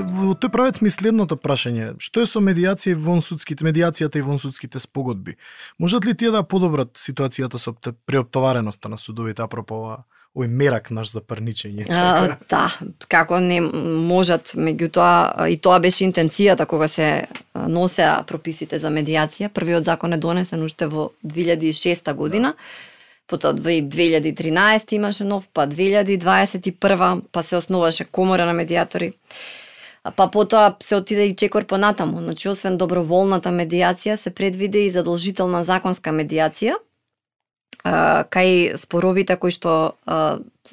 во тој правец ми следното прашање. Што е со медиацијата и вонсудските спогодби? Можат ли тие да подобрат ситуацијата со преоптовареноста на судовите апропо овој мерак наш за парничење? Да, како не можат, меѓутоа и тоа беше интенцијата кога се носеа прописите за медиација. Првиот закон е донесен уште во 2006 година. Потоа 2013 имаше нов, па 2021, па се основаше комора на медиатори. Па потоа се отиде и чекор понатаму. Значи, освен доброволната медиација, се предвиде и задолжителна законска медиација кај споровите кои што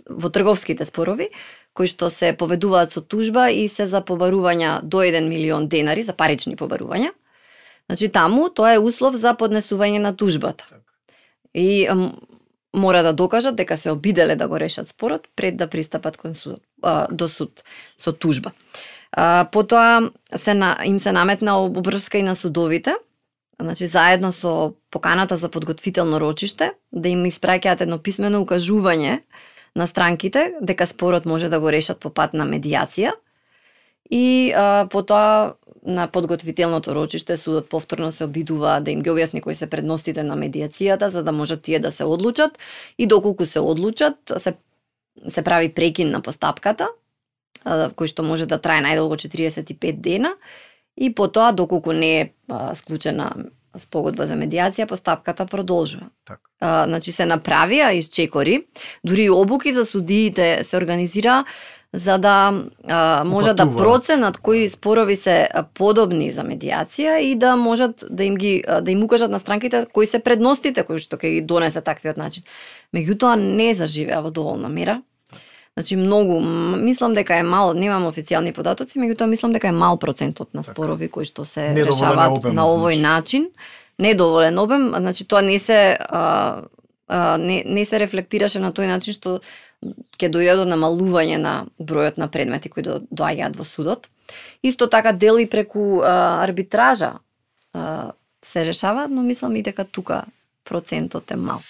во трговските спорови, кои што се поведуваат со тужба и се за побарувања до 1 милион денари, за парични побарувања. Значи, таму тоа е услов за поднесување на тужбата. И мора да докажат дека се обиделе да го решат спорот пред да пристапат кон суд, до суд со тужба. Потоа им се наметна обврска и на судовите, значи заедно со поканата за подготвително рочиште, да им испраќаат едно писмено укажување на странките дека спорот може да го решат по пат на медиација. И потоа на подготвителното рочиште судот повторно се обидува да им ги објасни кои се предностите на медиацијата, за да можат тие да се одлучат, и доколку се одлучат, се прави прекин на постапката, кој што може да трае најдолго 45 дена, и потоа доколку не е склучена спогодба за медиација, постапката продолжува. Значи се направија изчекори, дури и обуки за судиите се организира за да можат да проценат кои спорови се подобни за медиација и да можат да им укажат на странките кои се предностите кои што ќе ги донесе таквиот начин. Меѓутоа не заживеа во доволна мера. Значи многу, мислам дека е мал, немам официјални податоци, меѓутоа мислам дека е мал процентот на спорови кои што се решаваат на овој начин. Недоволен обем, значи тоа не се рефлектираше на тој начин што ќе дојде до намалување на бројот на предмети кои доаѓаат во судот. Исто така дел и преку арбитража се решава, но мислам и дека тука процентот е мал.